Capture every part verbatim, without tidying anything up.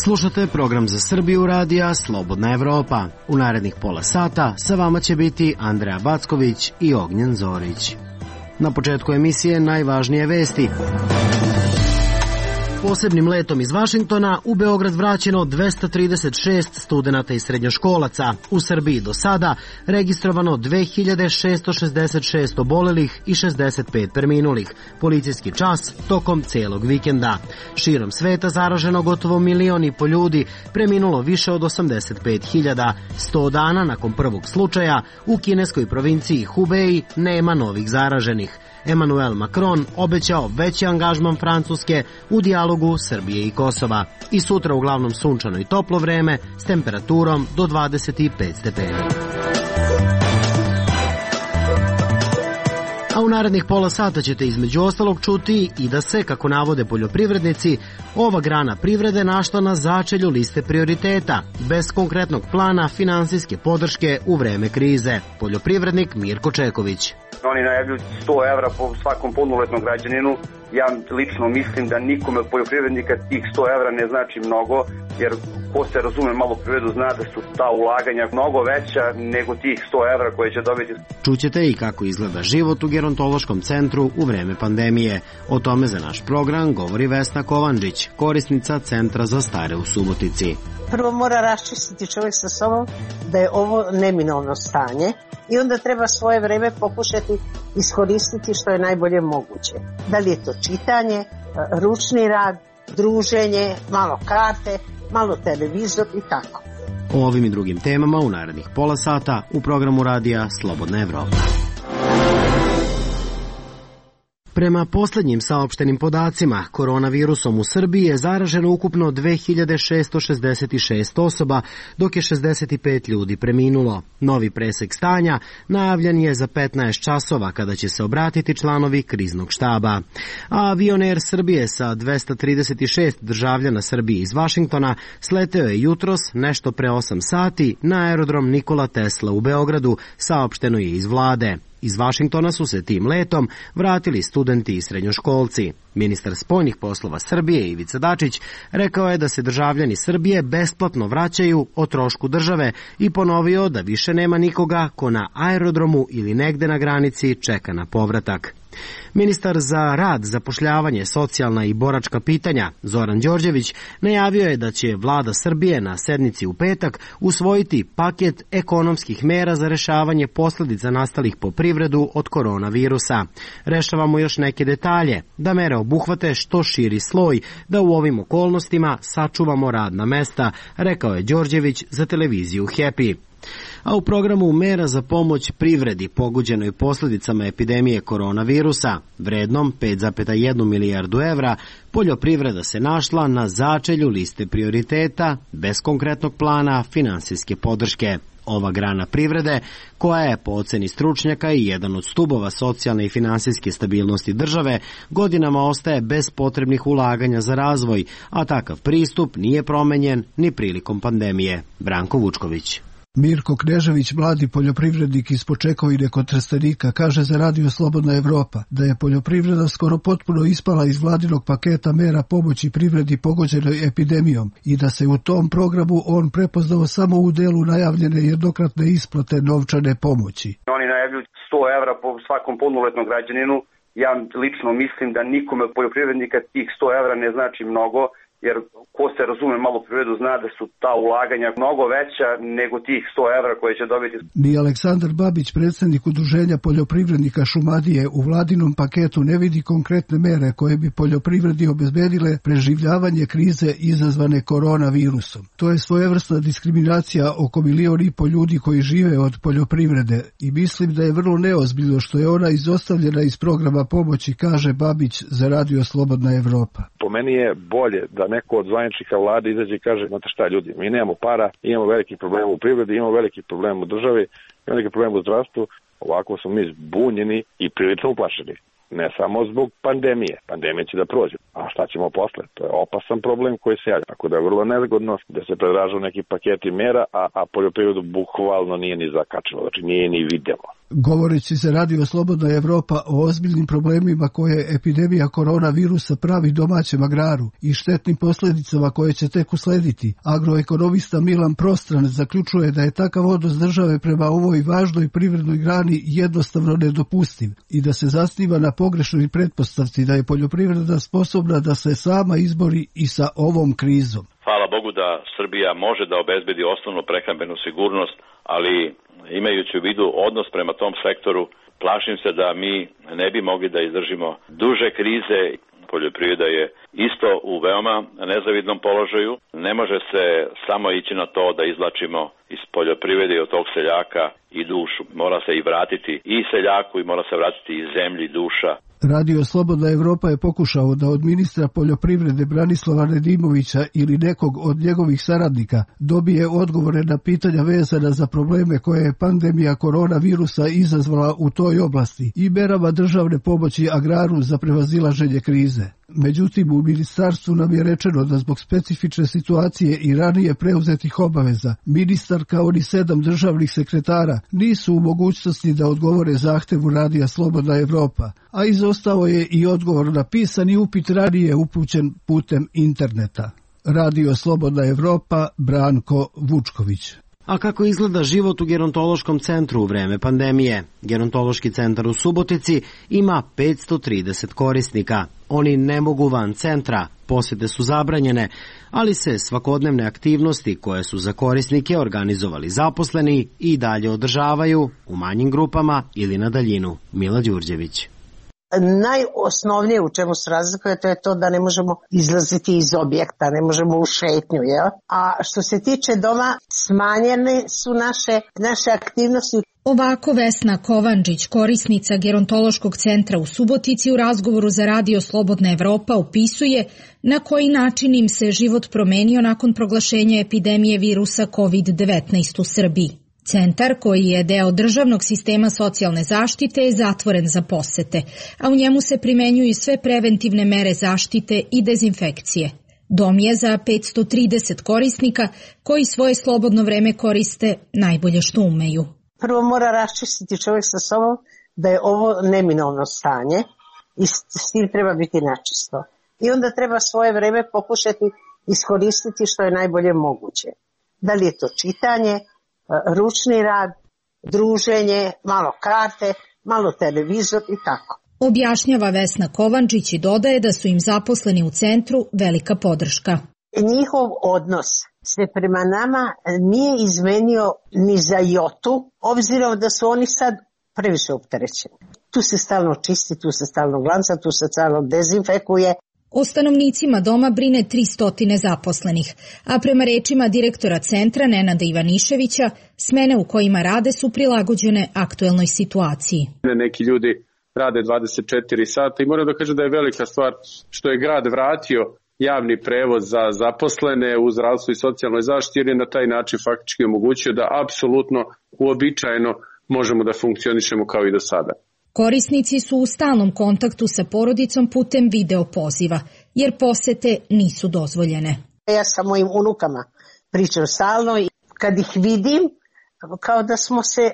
Slušate program za Srbiju radija Slobodna Evropa. U narednih pola sata sa vama će biti Andreja Backović i Ognjen Zorić. Na početku emisije najvažnije vesti. Posebnim letom iz Vašingtona u Beograd vraćeno dvesta trideset šest studenata i srednjoškolaca. U Srbiji do sada registrovano dve hiljade šesto šezdeset šest obolelih i šezdeset pet preminulih. Policijski čas tokom celog vikenda. Širom sveta zaraženo gotovo milion i po ljudi, preminulo više od osamdeset pet hiljada. sto dana nakon prvog slučaja u kineskoj provinciji Hubei nema novih zaraženih. Emmanuel Macron obećao veći angažman Francuske u dijalogu Srbije i Kosova. I sutra uglavnom sunčano i toplo vreme s temperaturom do dvadeset pet stepeni. A u narednih pola sata ćete između ostalog čuti i da se, kako navode poljoprivrednici, ova grana privrede našla na začelju liste prioriteta, bez konkretnog plana finansijske podrške u vreme krize. Poljoprivrednik Mirko Čeković. Oni najavljuju sto evra po svakom punoletnom građaninu. Ja lično mislim da nikome od poljoprivrednika tih sto evra ne znači mnogo, jer ko se razume malo privredu zna da su ta ulaganja mnogo veća nego tih sto evra koje će dobiti. Čućete i kako izgleda život u gerontološkom centru u vreme pandemije. O tome za naš program govori Vesna Kovančić, korisnica Centra za stare u Subotici. Prvo mora raščistiti čovjek sa sobom da je ovo neminovno stanje i onda treba svoje vreme pokušati iskoristiti što je najbolje moguće. Da li je to čitanje, ručni rad, druženje, malo karte, malo televizor i tako. O ovim i drugim temama u narednih pola sata u programu radija Slobodna Evropa. Prema poslednjim saopštenim podacima, koronavirusom u Srbiji je zaraženo ukupno dve hiljade šesto šezdeset šest osoba, dok je šezdeset pet ljudi preminulo. Novi presek stanja najavljen je za petnaest časova kada će se obratiti članovi kriznog štaba. A avion Air Srbije sa dvesta trideset šest državljana Srbije iz Vašingtona sleteo je jutros nešto pre osam sati na aerodrom Nikola Tesla u Beogradu, saopšteno je iz vlade. Iz Vašingtona su se tim letom vratili studenti i srednjoškolci. Ministar spoljnih poslova Srbije Ivica Dačić rekao je da se državljani Srbije besplatno vraćaju o trošku države i ponovio da više nema nikoga ko na aerodromu ili negde na granici čeka na povratak. Ministar za rad, zapošljavanje, socijalna i boračka pitanja Zoran Đorđević najavio je da će vlada Srbije na sednici u petak usvojiti paket ekonomskih mera za rešavanje posledica nastalih po privredu od koronavirusa. Rešavamo još neke detalje, da mere obuhvate što širi sloj, da u ovim okolnostima sačuvamo radna mesta, rekao je Đorđević za televiziju Happy. A u programu mera za pomoć privredi pogođenoj posledicama epidemije koronavirusa, vrednom pet zarez jedna milijardu evra, poljoprivreda se našla na začelju liste prioriteta bez konkretnog plana finansijske podrške. Ova grana privrede, koja je po oceni stručnjaka i jedan od stubova socijalne i finansijske stabilnosti države, godinama ostaje bez potrebnih ulaganja za razvoj, a takav pristup nije promenjen ni prilikom pandemije. Branko Vučković. Mirko Knežević, mladi poljoprivrednik iz Počekovine kod Trstenika, kaže za Radio Slobodna Evropa da je poljoprivreda skoro potpuno ispala iz vladinog paketa mera pomoći privredi pogođenoj epidemijom i da se u tom programu on prepoznao samo u delu najavljene jednokratne isplate novčane pomoći. Oni najavljuju sto evra po svakom punoletnom građaninu. Ja lično mislim da nikome od poljoprivrednika tih sto evra ne znači mnogo, jer ko se razume malo privredu zna da su ta ulaganja mnogo veća nego tih sto evra koje će dobiti. Ni Aleksandar Babić, predsjednik Udruženja poljoprivrednika Šumadije, u vladinom paketu ne vidi konkretne mere koje bi poljoprivredi obezbedile preživljavanje krize izazvane koronavirusom. To je svojevrsna diskriminacija oko milion i po ljudi koji žive od poljoprivrede i mislim da je vrlo neozbiljno što je ona izostavljena iz programa pomoći, kaže Babić za Radio Slobodna Evropa. Po meni je bolje da neko od zvaničnika vlade izađe i kaže, znate šta ljudi, mi nemamo para, imamo veliki problem u privredi, imamo veliki problem u državi, imamo veliki problem u zdravstvu, ovako smo mi zbunjeni i prilično uplašeni. Ne samo zbog pandemije. Pandemija će da prođe. A šta ćemo posle? To je opasan problem koji se javlja. Tako da je vrlo nezgodno da se predražu neki paketi mera, a, a poljoprivredu bukvalno nije ni zakačilo. Znači nije ni videlo. Govoreći za Radio Slobodna Evropa o ozbiljnim problemima koje epidemija koronavirusa pravi domaćem agraru i štetnim posljedicama koje će tek uslediti, agroekonomista Milan Prostran zaključuje da je takav odnos države prema ovoj važnoj privrednoj grani jednostavno nedopustiv i da se zasniva na pogrešnoj pretpostavci da je poljoprivreda sposobna da se sama izbori i sa ovom krizom. Hvala Bogu da Srbija može da obezbedi osnovnu prehrambenu sigurnost, ali imajući u vidu odnos prema tom sektoru, plašim se da mi ne bi mogli da izdržimo duže krize. Poljoprivreda je isto u veoma nezavidnom položaju. Ne može se samo ići na to da izvlačimo iz poljoprivrede i od tog seljaka i dušu. Mora se i vratiti i seljaku i mora se vratiti i zemlji duša. Radio Slobodna Evropa je pokušao da od ministra poljoprivrede Branislava Nedimovića ili nekog od njegovih saradnika dobije odgovore na pitanja vezana za probleme koje je pandemija koronavirusa izazvala u toj oblasti i merama državne pomoći agraru za prevazilaženje krize. Međutim, u ministarstvu nam je rečeno da zbog specifične situacije i ranije preuzetih obaveza, ministar kao ni sedam državnih sekretara nisu u mogućnosti da odgovore zahtevu Radija Slobodna Evropa, a izostao je i odgovor na pisani upit ranije upućen putem interneta. Radio Slobodna Evropa, Branko Vučković. A kako izgleda život u gerontološkom centru u vreme pandemije? Gerontološki centar u Subotici ima petsto trideset korisnika. Oni ne mogu van centra, posjete su zabranjene, ali se svakodnevne aktivnosti koje su za korisnike organizovali zaposleni i dalje održavaju u manjim grupama ili na daljinu. Mila Đurđević. Najosnovnije u čemu se razlikuje to je to da ne možemo izlaziti iz objekta, ne možemo u šetnju, jel? A što se tiče doma, smanjene su naše, naše aktivnosti. Ovako Vesna Kovančić, korisnica gerontološkog centra u Subotici, u razgovoru za Radio Slobodna Evropa opisuje na koji način im se život promenio nakon proglašenja epidemije virusa kovid devetnaest u Srbiji. Centar, koji je deo državnog sistema socijalne zaštite, je zatvoren za posete, a u njemu se primenjuju sve preventivne mere zaštite i dezinfekcije. Dom je za petsto trideset korisnika koji svoje slobodno vreme koriste najbolje što umeju. Prvo mora raščistiti čovjek sa sobom da je ovo neminovno stanje i s tim treba biti načisto. I onda treba svoje vreme pokušati iskoristiti što je najbolje moguće. Da li je to čitanje, ručni rad, druženje, malo karte, malo televizor i tako. Objašnjava Vesna Kovančić i dodaje da su im zaposleni u centru velika podrška. Njihov odnos se prema nama nije izmenio ni za jotu, obzirom da su oni sad previše opterećeni. Tu se stalno čisti, tu se stalno glanca, tu se stalno dezinfekuje. O stanovnicima doma brine tristo zaposlenih, a prema rečima direktora centra Nenada Ivaniševića, smene u kojima rade su prilagođene aktuelnoj situaciji. Neki ljudi rade dvadeset četiri sata i moram da kažem da je velika stvar što je grad vratio javni prevoz za zaposlene u zdravstvu i socijalnoj zaštiti, jer je na taj način faktički omogućio da apsolutno uobičajeno možemo da funkcionišemo kao i do sada. Korisnici su u stalnom kontaktu sa porodicom putem video poziva, jer posete nisu dozvoljene. Ja sa mojim unukama pričam stalno i kad ih vidim, kao da smo se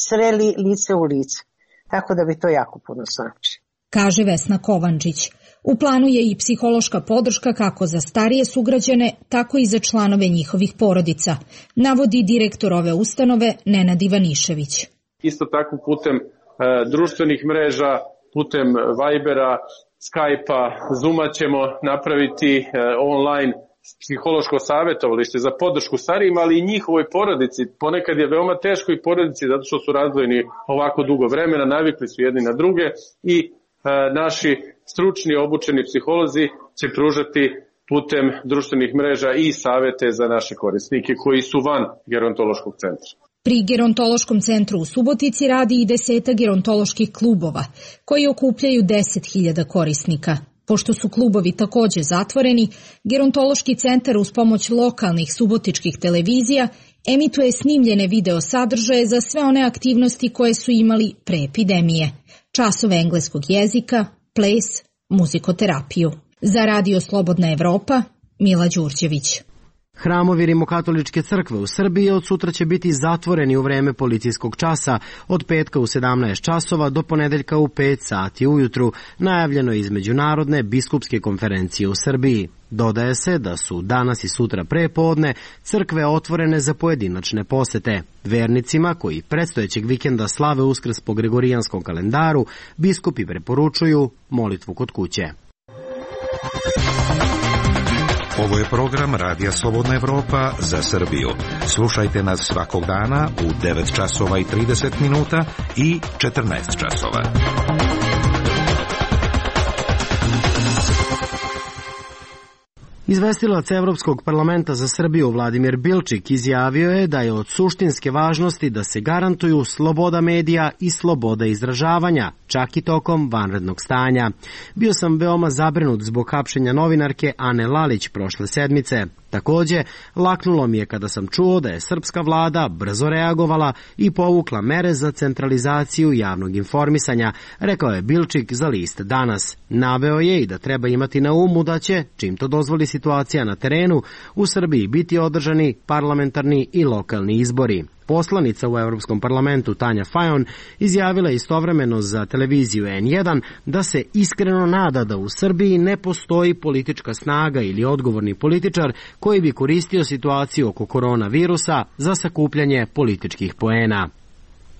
sreli lice u lice. Tako da bi to jako puno znači. Kaže Vesna Kovančić. U planu je i psihološka podrška kako za starije sugrađane, tako i za članove njihovih porodica, navodi direktor ove ustanove Nenad Ivanišević. Isto tako putem e, društvenih mreža, putem Vibera, Skype-a, Zooma ćemo napraviti e, online psihološko savjetovalište za podršku starijima, ali i njihovoj porodici. Ponekad je veoma teško i porodici zato što su razdvojeni ovako dugo vremena, navikli su jedni na druge i e, naši stručni obučeni psiholozi će pružati putem društvenih mreža i savete za naše korisnike koji su van gerontološkog centra. Pri gerontološkom centru u Subotici radi i deseta gerontoloških klubova, koji okupljaju deset hiljada korisnika. Pošto su klubovi takođe zatvoreni, gerontološki centar uz pomoć lokalnih subotičkih televizija emituje snimljene video sadržaje za sve one aktivnosti koje su imali pre epidemije. časove engleskog jezika, ples, muzikoterapiju. Za Radio Slobodna Evropa, Mila Đurđević. Hramovi Rimokatoličke crkve u Srbiji od sutra će biti zatvoreni u vreme policijskog časa od petka u sedamnaest časova do ponedeljka u pet sati ujutru, najavljeno iz Međunarodne biskupske konferencije u Srbiji. Dodaje se da su danas i sutra prepodne crkve otvorene za pojedinačne posete. Vernicima koji predstojećeg vikenda slave Uskrs po Gregorijanskom kalendaru, biskupi preporučuju molitvu kod kuće. Ovo je program Radija Slobodna Evropa za Srbiju. Slušajte nas svakog dana u devet časova i trideset minuta i četrnaest časova. Izvestilac Evropskog parlamenta za Srbiju Vladimir Bilčik izjavio je da je od suštinske važnosti da se garantuju sloboda medija i sloboda izražavanja, čak i tokom vanrednog stanja. Bio sam veoma zabrinut zbog hapšenja novinarke Ane Lalić prošle sedmice. Takođe, laknulo mi je kada sam čuo da je srpska vlada brzo reagovala i povukla mere za centralizaciju javnog informisanja, rekao je Bilčik za list Danas. Naveo je i da treba imati na umu da će, čim to dozvoli situacija na terenu, u Srbiji biti održani parlamentarni i lokalni izbori. Poslanica u Evropskom parlamentu Tanja Fajon izjavila istovremeno za televiziju en jedan da se iskreno nada da u Srbiji ne postoji politička snaga ili odgovorni političar koji bi koristio situaciju oko koronavirusa za sakupljanje političkih poena.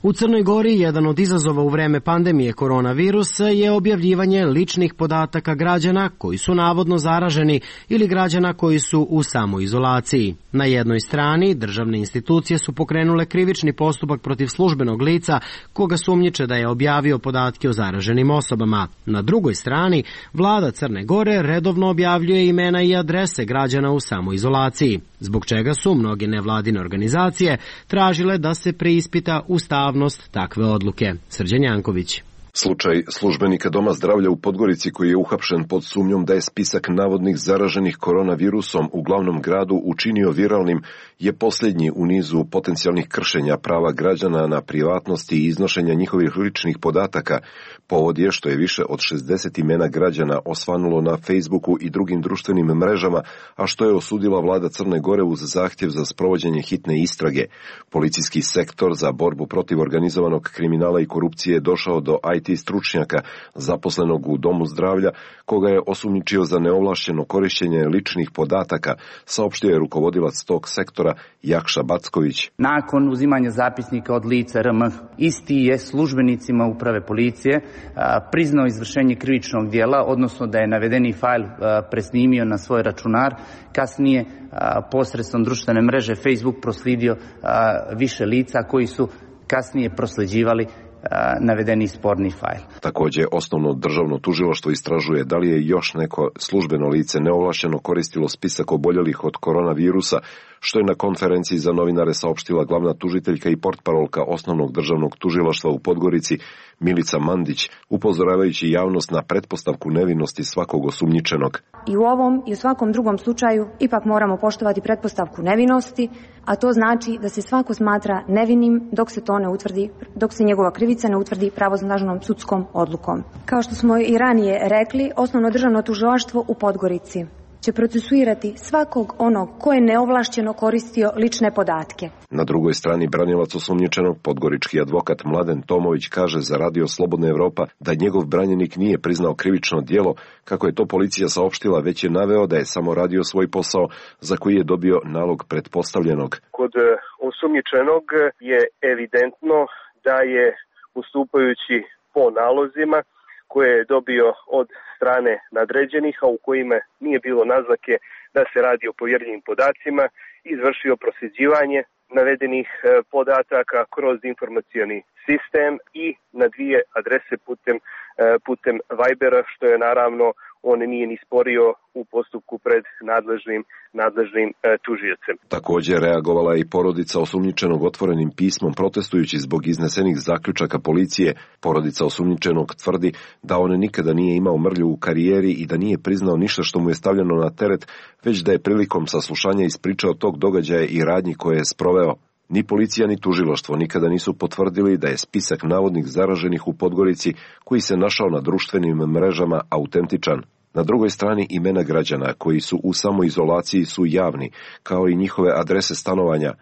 U Crnoj Gori jedan od izazova u vreme pandemije koronavirusa je objavljivanje ličnih podataka građana koji su navodno zaraženi ili građana koji su u samoizolaciji. Na jednoj strani državne institucije su pokrenule krivični postupak protiv službenog lica koga sumnjiče da je objavio podatke o zaraženim osobama. Na drugoj strani vlada Crne Gore redovno objavljuje imena i adrese građana u samoizolaciji, zbog čega su mnoge nevladine organizacije tražile da se preispita ustavnost takve odluke. Srđan Janković. Slučaj službenika Doma zdravlja u Podgorici koji je uhapšen pod sumnjom da je spisak navodnih zaraženih koronavirusom u glavnom gradu učinio viralnim je posljednji u nizu potencijalnih kršenja prava građana na privatnost i iznošenja njihovih ličnih podataka. Povod je što je više od šezdeset imena građana osvanulo na Facebooku i drugim društvenim mrežama, a što je osudila vlada Crne Gore uz zahtjev za sprovođenje hitne istrage. Policijski sektor za borbu protiv organizovanog kriminala i korupcije je došao do I T stručnjaka zaposlenog u Domu zdravlja, koga je osumnjičio za neovlašćeno korištenje ličnih podataka, saopštio je rukovodilac tog sektora Jakša Backović. Nakon uzimanja zapisnika od lica R M, isti je službenicima uprave policije priznao izvršenje krivičnog dijela, odnosno da je navedeni fajl presnimio na svoj računar, kasnije posredstvom društvene mreže Facebook proslijedio više lica koji su kasnije prosleđivali navedeni sporni fajl. Također, osnovno državno tužilaštvo istražuje da li je još neko službeno lice neovlašćeno koristilo spisak oboljelih od koronavirusa, što je na konferenciji za novinare saopštila glavna tužiteljka i portparolka osnovnog državnog tužilaštva u Podgorici Milica Mandić, upozoravajući javnost na pretpostavku nevinosti svakog osumnjičenog. I u ovom i u svakom drugom slučaju ipak moramo poštovati pretpostavku nevinosti, a to znači da se svako smatra nevinim dok se to ne utvrdi, dok se njegova krivica ne utvrdi pravosnažnom sudskom odlukom. Kao što smo i ranije rekli, osnovno državno tužilaštvo u Podgorici će procesuirati svakog onog ko je neovlašćeno koristio lične podatke. Na drugoj strani branilac osumnjičenog, podgorički advokat Mladen Tomović, kaže za Radio Slobodna Evropa da njegov branjenik nije priznao krivično djelo, kako je to policija saopštila, već je naveo da je samo radio svoj posao za koji je dobio nalog pretpostavljenog. Kod osumnjičenog je evidentno da je ustupajući po nalozima koje je dobio od strane nadređenih, a u kojima nije bilo naznake da se radi o povjerljivim podacima, izvršio prosljeđivanje navedenih podataka kroz informacioni sistem i na dvije adrese putem, putem Vibera, što je naravno on nije ni sporio u postupku pred nadležnim, nadležnim e, tužiocem. Također reagovala i porodica osumnjičenog otvorenim pismom protestujući zbog iznesenih zaključaka policije. Porodica osumnjičenog tvrdi da on nikada nije imao mrlju u karijeri i da nije priznao ništa što mu je stavljeno na teret, već da je prilikom saslušanja ispričao tog događaja i radnji koje je sproveo. Ni policija ni tužilaštvo nikada nisu potvrdili da je spisak navodnih zaraženih u Podgorici, koji se našao na društvenim mrežama, autentičan. Na drugoj strani imena građana koji su u samoizolaciji su javni, kao i njihove adrese stanovanja.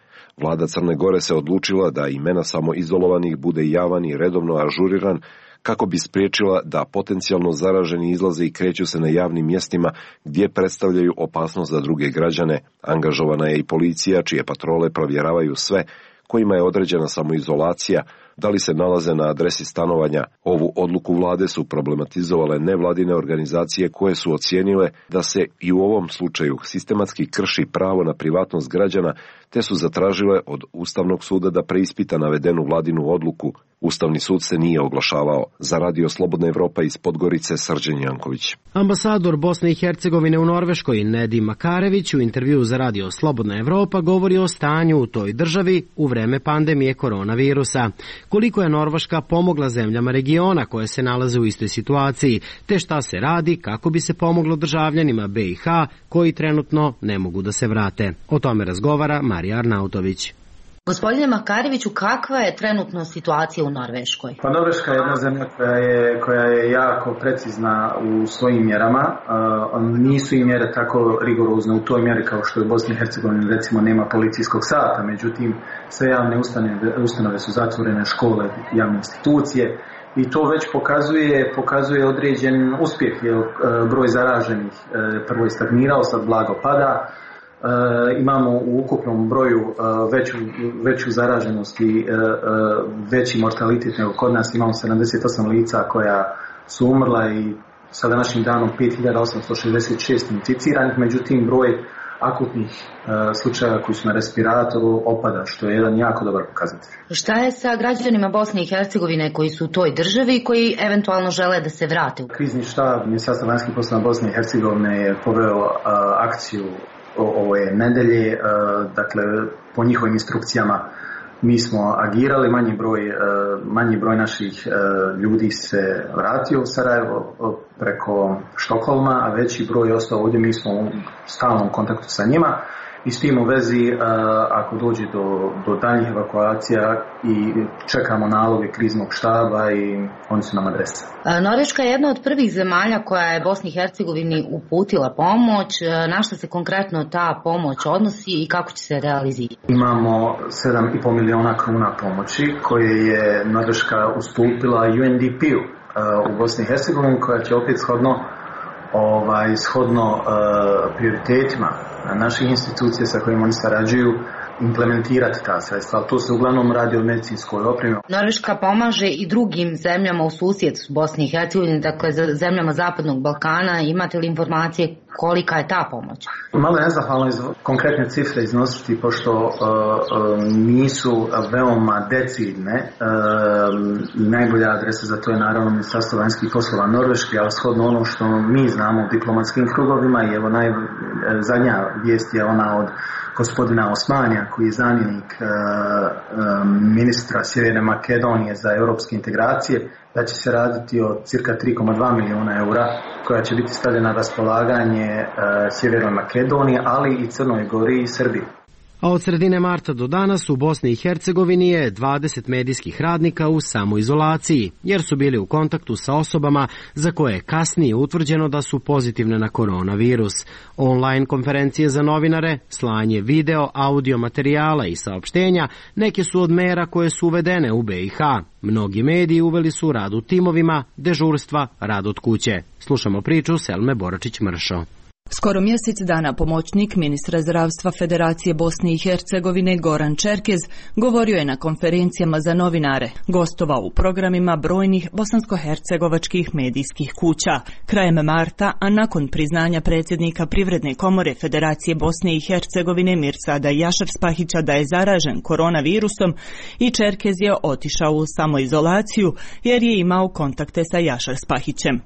Vlada Crne Gore se odlučila da imena samoizolovanih bude javan i redovno ažuriran, kako bi spriječila da potencijalno zaraženi izlaze i kreću se na javnim mjestima gdje predstavljaju opasnost za druge građane. Angažovana je i policija, čije patrole provjeravaju sve kojima je određena samoizolacija, da li se nalaze na adresi stanovanja. Ovu odluku vlade su problematizovale nevladine organizacije koje su ocijenile da se i u ovom slučaju sistematski krši pravo na privatnost građana, te su zatražile od Ustavnog suda da preispita navedenu vladinu odluku. Ustavni sud se nije oglašavao. Za Radio Slobodna Evropa iz Podgorice, Srđan Janković. Ambasador Bosne i Hercegovine u Norveškoj Nedim Makarević u intervjuu za Radio Slobodna Evropa govori o stanju u toj državi u vreme pandemije koronavirusa. Koliko je Norveška pomogla zemljama regiona koje se nalaze u istoj situaciji, te šta se radi kako bi se pomoglo državljanima be i ha koji trenutno ne mogu da se vrate. O tome razgovara Marija Arnautović. Gospodine Makareviću, kakva je trenutno situacija u Norveškoj? Pa Norveška je jedna zemlja koja je, koja je jako precizna u svojim mjerama. Uh, nisu i mjere tako rigorozne u toj mjeri kao što je u Bosni i Hercegovini, recimo nema policijskog sata, međutim sve javne ustanove, ustanove su zatvorene, škole, javne institucije. I to već pokazuje, pokazuje određen uspjeh, jer uh, broj zaraženih uh, prvo je stagnirao, sad blago pada. Uh, imamo u ukupnom broju uh, veću, veću zaraženost i uh, uh, veći mortalitet nego kod nas. Imamo sedamdeset osam lica koja su umrla i sa današnjim danom pet hiljada osamsto šezdeset šest inficiranih, međutim broj akutnih uh, slučajeva koji su na respiratoru opada, što je jedan jako dobar pokazatelj. Šta je sa građanima Bosne i Hercegovine koji su u toj državi i koji eventualno žele da se vrate? Krizni štab Ministarstva vanjskih poslova Bosne i Hercegovine je poveo uh, akciju ove nedelje, dakle po njihovim instrukcijama mi smo agirali, manji broj, manji broj naših ljudi se vratio u Sarajevo preko Štokholma, a veći broj je ostao ovdje, mi smo u stalnom kontaktu sa njima. I s tim u vezi, ako dođe do, do daljnjih evakuacija i čekamo naloge kriznog štaba i oni su nam adrese. Norveška je jedna od prvih zemalja koja je Bosni i Hercegovini uputila pomoć. Na što se konkretno ta pomoć odnosi i kako će se realizirati? Imamo sedam i pol miliona kruna pomoći koje je Norveška ustupila U N D P-u u Bosni i Hercegovini, koja će opet shodno Ovaj, shodno uh, prioritetima naših institucija sa kojima oni sarađuju implementirati ta sredstva, ali to se uglavnom radi o medicinskoj opremi. Norveška pomaže i drugim zemljama u susjedstvu Bosni i Hercegovine, dakle zemljama Zapadnog Balkana. Imate li informacije kolika je ta pomoć? Malo je nezahvalno iz konkretne cifre iznositi, pošto uh, uh, nisu veoma decidne. Uh, najbolja adresa za to je naravno Ministarstvo vanjskih poslova Norveške, ali shodno ono što mi znamo u diplomatskim krugovima, i evo naj, zadnja vijest je ona od gospodina Osmanija, koji je zamjenik uh, um, ministra Sjeverne Makedonije za europske integracije, da će se raditi o cirka tri zarez dva milijuna eura koja će biti stavljena na raspolaganje uh, Sjevernoj Makedoniji, ali i Crnoj Gori i Srbiji. A od sredine marta do danas u Bosni i Hercegovini je dvadeset medijskih radnika u samoizolaciji, jer su bili u kontaktu sa osobama za koje je kasnije utvrđeno da su pozitivne na koronavirus. Online konferencije za novinare, slanje video, audio materijala i saopštenja neke su od mera koje su uvedene u be i ha. Mnogi mediji uveli su rad u timovima, dežurstva, rad od kuće. Slušamo priču Selme Boračić-Mršo. Skoro mjesec dana pomoćnik ministra zdravstva Federacije Bosne i Hercegovine Goran Čerkez govorio je na konferencijama za novinare, gostovao u programima brojnih bosansko-hercegovačkih medijskih kuća. Krajem marta, a nakon priznanja predsjednika Privredne komore Federacije Bosne i Hercegovine Mirsada Jašar-Spahića da je zaražen koronavirusom, i Čerkez je otišao u samoizolaciju jer je imao kontakte sa Jašar-Spahićem.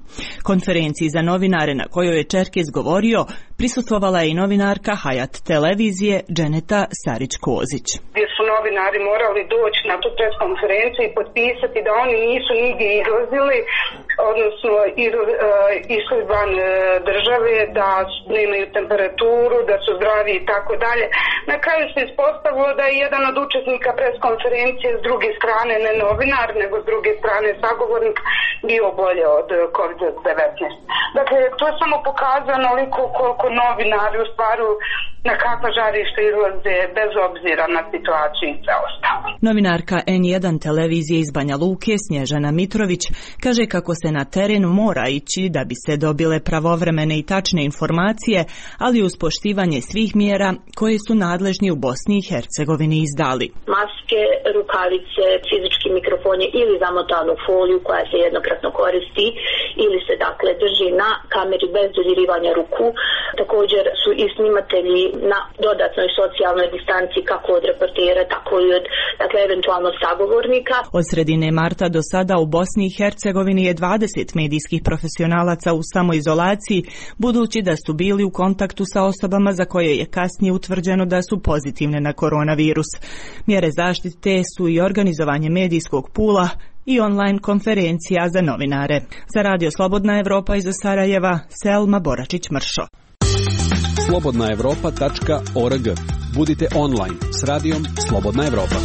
Konferenciji za novinare na kojoj je Čerkez govorio prisustvovala je i novinarka Hayat televizije Dženeta Sarić-Kozić. Gdje su novinari morali doći na tu preskonferenciju i potpisati da oni nisu nigdje izlazili, odnosno išli van države, da nemaju temperaturu, da su zdravi i tako dalje. Na kraju se ispostavilo da je jedan od učesnika pres konferencije s druge strane, ne novinar, nego s druge strane sagovornik, bio bolje od kovid devetnaest. Dakle, to je samo pokazano koliko, koliko novinari u stvaru na kakva žarišta izlaze bez obzira na situaciju i sve ostalo. Novinarka N jedan televizije iz Banja Luke Snježana Mitrović kaže kako se na teren mora ići da bi se dobile pravovremene i tačne informacije, ali uz poštivanje svih mjera koje su nadležni u Bosni i Hercegovini izdali. Maske, rukavice, fizički mikrofon ili zamotanu foliju koja se jednokratno koristi ili se dakle drži na kameri bez dodirivanja ruku. Također su i snimatelji na dodatnoj socijalnoj distanci kako od reportera, tako i od dakle, eventualno sagovornika. Od sredine marta do sada u Bosni i Hercegovini je dvadeset medijskih profesionalaca u samoizolaciji, budući da su bili u kontaktu sa osobama za koje je kasnije utvrđeno da su pozitivne na koronavirus. Mjere zaštite su i organizovanje medijskog pula i online konferencija za novinare. Za Radio Slobodna Evropa iz Sarajeva, Selma Boračić-Mršo. slobodna evropa tačka org. Budite online s radijom Slobodna Evropa.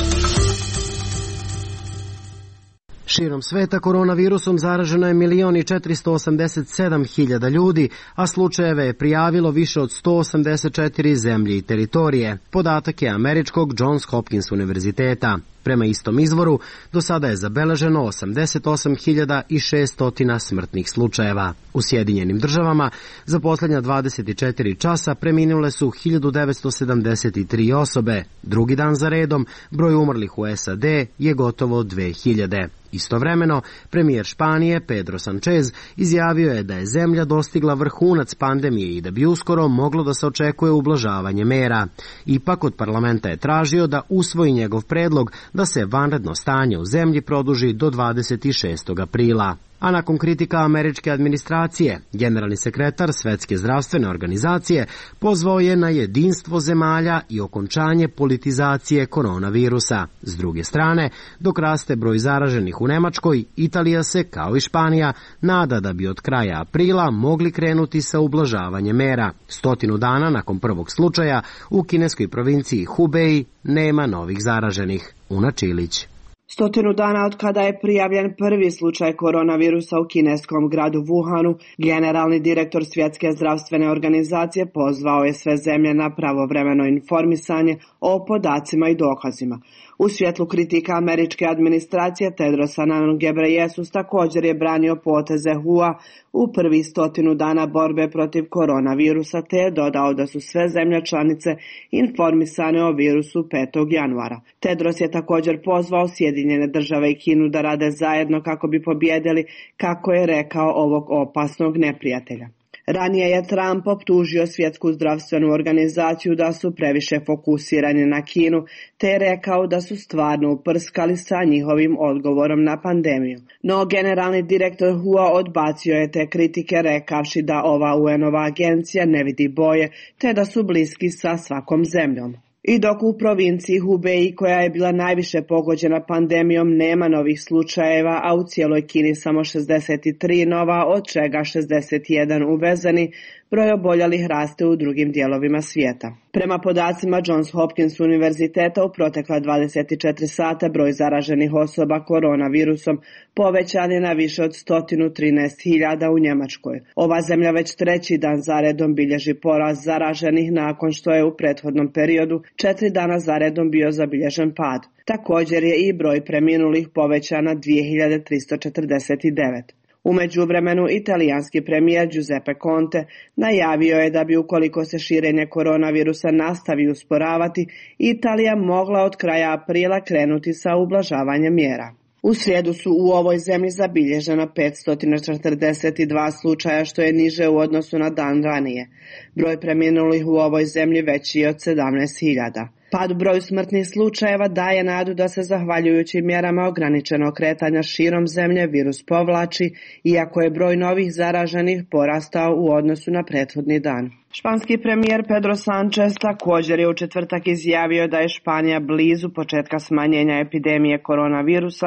Širom sveta koronavirusom zaraženo je milion i četiristo osamdeset sedam hiljada ljudi, a slučajeve je prijavilo više od sto osamdeset četiri zemlje i teritorije. Podatak je američkog Johns Hopkins univerziteta. Prema istom izvoru, do sada je zabeleženo osamdeset osam hiljada šesto smrtnih slučajeva. U Sjedinjenim državama za posljednja dvadeset četiri časa preminule su hiljadu devetsto sedamdeset tri osobe. Drugi dan za redom broj umrlih u S A D je gotovo dve hiljade. Istovremeno, premijer Španije Pedro Sanchez izjavio je da je zemlja dostigla vrhunac pandemije i da bi uskoro moglo da se očekuje ublažavanje mera. Ipak od parlamenta je tražio da usvoji njegov predlog da se vanredno stanje u zemlji produži do dvadeset šestog aprila. A nakon kritika američke administracije, generalni sekretar Svetske zdravstvene organizacije pozvao je na jedinstvo zemalja i okončanje politizacije koronavirusa. S druge strane, dok raste broj zaraženih u Nemačkoj, Italija se, kao i Španija, nada da bi od kraja aprila mogli krenuti sa ublažavanjem mera. Stotinu dana nakon prvog slučaja u kineskoj provinciji Hubei nema novih zaraženih. Una Čilić. Stotinu dana od kada je prijavljen prvi slučaj koronavirusa u kineskom gradu Wuhanu, generalni direktor Svjetske zdravstvene organizacije pozvao je sve zemlje na pravovremeno informisanje o podacima i dokazima. U svjetlu kritika američke administracije Tedros Adhanom Ghebreyesus također je branio poteze W H O a u prvi stotinu dana borbe protiv koronavirusa, te je dodao da su sve zemlje članice informisane o virusu petog januara. Tedros je također pozvao Sjedinjene države i Kinu da rade zajedno kako bi pobjedili, kako je rekao, ovog opasnog neprijatelja. Ranije je Trump optužio Svjetsku zdravstvenu organizaciju da su previše fokusirani na Kinu, te je rekao da su stvarno uprskali sa njihovim odgovorom na pandemiju. No generalni direktor W H O a odbacio je te kritike rekavši da ova U N-ova agencija ne vidi boje, te da su bliski sa svakom zemljom. I dok u provinciji Hubei, koja je bila najviše pogođena pandemijom, nema novih slučajeva, a u cijeloj Kini samo šezdeset tri nova, od čega šezdeset jedan uvezeni, broj oboljelih raste u drugim dijelovima svijeta. Prema podacima Johns Hopkins univerziteta, u protekla dvadeset četiri sata broj zaraženih osoba koronavirusom povećan je na više od sto trinaest hiljada u Njemačkoj. Ova zemlja već treći dan zaredom bilježi porast zaraženih nakon što je u prethodnom periodu četiri dana zaredom bio zabilježen pad. Također je i broj preminulih povećan na dvije hiljade tristo četrdeset devet. U međuvremenu, italijanski premijer Giuseppe Conte najavio je da bi, ukoliko se širenje koronavirusa nastavi usporavati, Italija mogla od kraja aprila krenuti sa ublažavanjem mjera. U srijedu su u ovoj zemlji zabilježena petsto četrdeset dva slučaja, što je niže u odnosu na dan ranije. Broj preminulih u ovoj zemlji veći je od sedamnaest hiljada. Pad u broju smrtnih slučajeva daje nadu da se, zahvaljujući mjerama ograničenog kretanja širom zemlje, virus povlači, iako je broj novih zaraženih porastao u odnosu na prethodni dan. Španski premijer Pedro Sánchez također je u četvrtak izjavio da je Španija blizu početka smanjenja epidemije koronavirusa,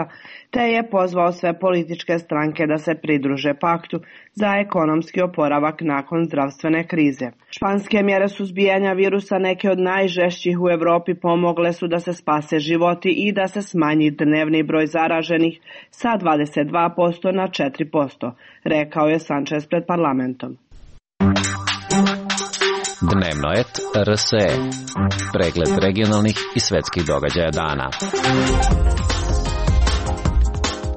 te je pozvao sve političke stranke da se pridruže paktu za ekonomski oporavak nakon zdravstvene krize. Španske mjere suzbijanja virusa, neke od najžešćih u Europi, pomogle su da se spase životi i da se smanji dnevni broj zaraženih sa dvadeset dva posto na četiri posto, rekao je Sánchez pred parlamentom. Dnevnoet R S E. Pregled regionalnih i svetskih događaja dana.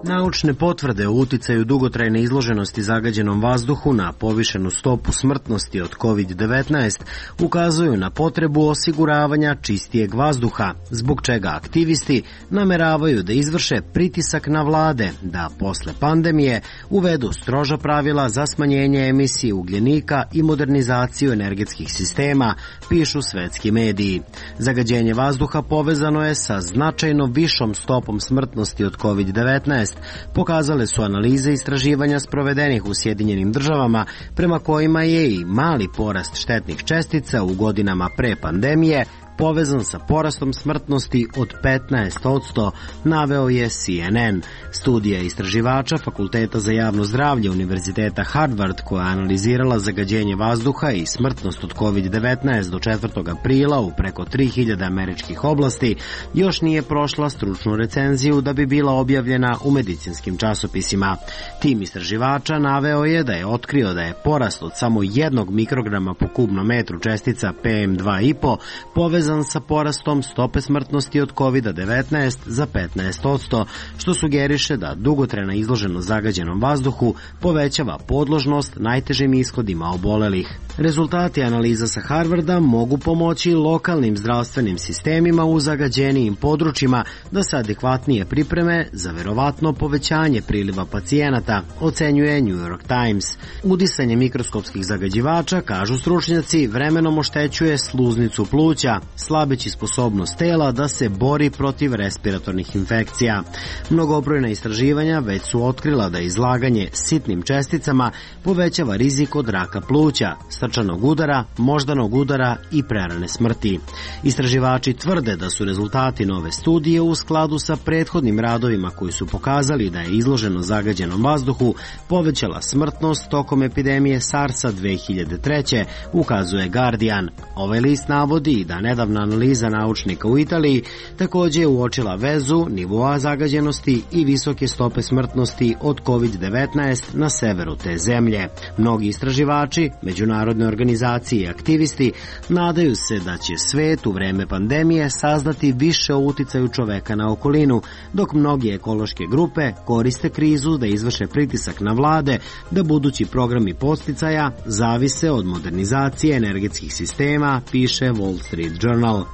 Naučne potvrde o uticaju dugotrajne izloženosti zagađenom vazduhu na povišenu stopu smrtnosti od kovid devetnaest ukazuju na potrebu osiguravanja čistijeg vazduha, zbog čega aktivisti nameravaju da izvrše pritisak na vlade da posle pandemije uvedu stroža pravila za smanjenje emisije ugljenika i modernizaciju energetskih sistema, pišu svetski mediji. Zagađenje vazduha povezano je sa značajno višom stopom smrtnosti od kovid devetnaest, pokazale su analize istraživanja sprovedenih u Sjedinjenim državama, prema kojima je i mali porast štetnih čestica u godinama pre pandemije povezan sa porastom smrtnosti od petnaest posto, naveo je C N N. Studija istraživača Fakulteta za javno zdravlje Univerziteta Harvard, koja je analizirala zagađenje vazduha i smrtnost od kovid devetnaest do četvrtog aprila u preko tri hiljade američkih oblasti, još nije prošla stručnu recenziju da bi bila objavljena u medicinskim časopisima. Tim istraživača naveo je da je otkrio da je porast od samo jednog mikrograma po kubnom metru čestica P M dva i po povezan sa porastom stope smrtnosti od kovid devetnaest za petnaest posto, što sugeriše da dugotrajna izloženost zagađenom vazduhu povećava podložnost najtežim ishodima obolelih. Rezultati analiza sa Harvarda mogu pomoći lokalnim zdravstvenim sistemima u zagađenijim područjima da se adekvatnije pripreme za verovatno povećanje priliva pacijenata, ocenjuje New York Times. Udisanje mikroskopskih zagađivača, kažu stručnjaci, vremenom oštećuje sluznicu pluća, slabeći sposobnost tela da se bori protiv respiratornih infekcija. Mnogobrojna istraživanja već su otkrila da izlaganje sitnim česticama povećava rizik od raka pluća, srčanog udara, moždanog udara i prerane smrti. Istraživači tvrde da su rezultati nove studije u skladu sa prethodnim radovima koji su pokazali da je izloženo zagađenom vazduhu povećala smrtnost tokom epidemije SARS-a dve hiljade treće, ukazuje Guardian. Ovaj list navodi da nedavna analiza naučnika u Italiji također je uočila vezu nivoa zagađenosti i visoke stope smrtnosti od kovid devetnaest na severu te zemlje. Mnogi istraživači, međunarodne organizacije i aktivisti nadaju se da će svet u vreme pandemije saznati više o uticaju čoveka na okolinu, dok mnogi ekološke grupe koriste krizu da izvrše pritisak na vlade da budući programi podsticaja zavise od modernizacije energetskih sistema, piše Wall Street Journal.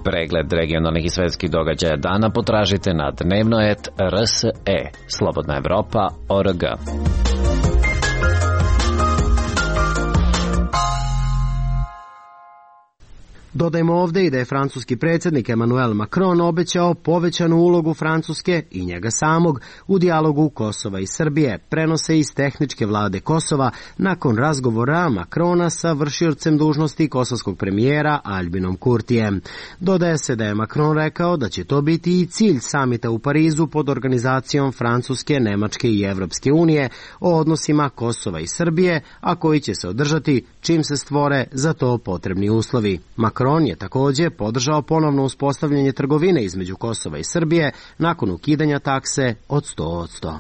Pregled regionalnih i svetskih događaja dana potražite na dnevnoet R S E, Slobodna Evropa, O R G. Dodajmo ovde i da je francuski predsjednik Emmanuel Macron obećao povećanu ulogu Francuske i njega samog u dijalogu Kosova i Srbije, prenose iz tehničke vlade Kosova nakon razgovora Macrona sa vršiocem dužnosti kosovskog premijera Albinom Kurtijem. Dodaje se da je Macron rekao da će to biti i cilj samita u Parizu pod organizacijom Francuske, Nemačke i Evropske unije o odnosima Kosova i Srbije, a koji će se održati čim se stvore za to potrebni uslovi. Macron je također podržao ponovno uspostavljanje trgovine između Kosova i Srbije nakon ukidanja takse od sto posto.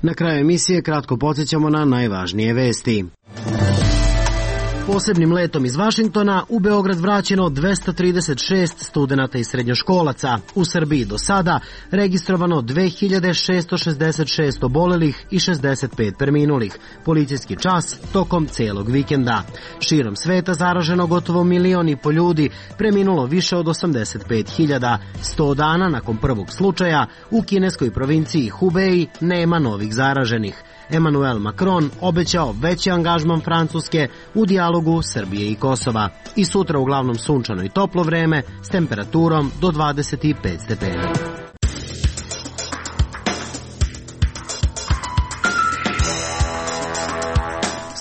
Na kraju emisije kratko podsjećamo na najvažnije vesti. Posebnim letom iz Vašingtona u Beograd vraćeno dvesta trideset šest studenata i srednjoškolaca. U Srbiji do sada registrovano dve hiljade šesto šezdeset šest obolelih i šezdeset pet preminulih. Policijski čas tokom celog vikenda. Širom sveta zaraženo gotovo milion i po ljudi, preminulo više od osamdeset pet hiljada. Sto dana nakon prvog slučaja u kineskoj provinciji Hubei nema novih zaraženih. Emmanuel Macron obećao veći angažman Francuske u dijalogu Srbije i Kosova. I sutra uglavnom sunčano i toplo vreme s temperaturom do dvadeset pet stepeni.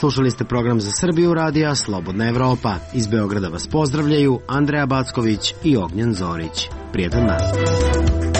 Slušali ste program za Srbiju radija Slobodna Evropa. Iz Beograda vas pozdravljaju Andreja Backović i Ognjen Zorić. Prijetan nastavak.